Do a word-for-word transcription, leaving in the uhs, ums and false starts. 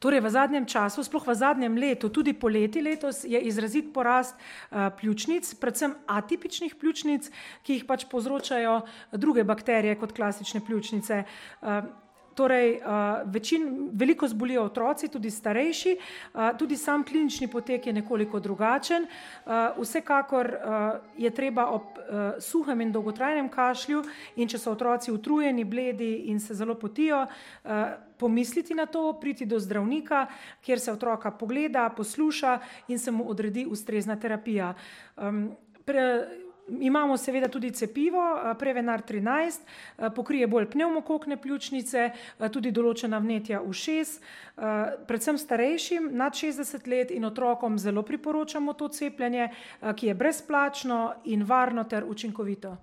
Torej, v zadnjem času, sploh v zadnjem letu, tudi poleti letos, je izrazit porast uh, pljučnic, predvsem atipičnih pljučnic, ki jih pač povzročajo druge bakterije kot klasične pljučnice. Uh, Torej, uh, večin, veliko zbolijo otroci, tudi starejši, uh, tudi sam klinični potek je nekoliko drugačen. Uh, vsekakor uh, je treba ob uh, suhem in dolgotrajnem kašlju in če so otroci utrujeni, bledi in se zelo potijo, uh, pomisliti na to, priti do zdravnika, kjer se otroka pogleda, posluša in se mu odredi ustrezna terapija. Um, pre, Imamo seveda tudi cepivo, Prevenar trinajst, pokrije bolj pnevmokokne pljučnice, tudi določena vnetja ušes, predvsem starejšim nad šestdeset let in otrokom zelo priporočamo to cepljenje, ki je brezplačno in varno ter učinkovito.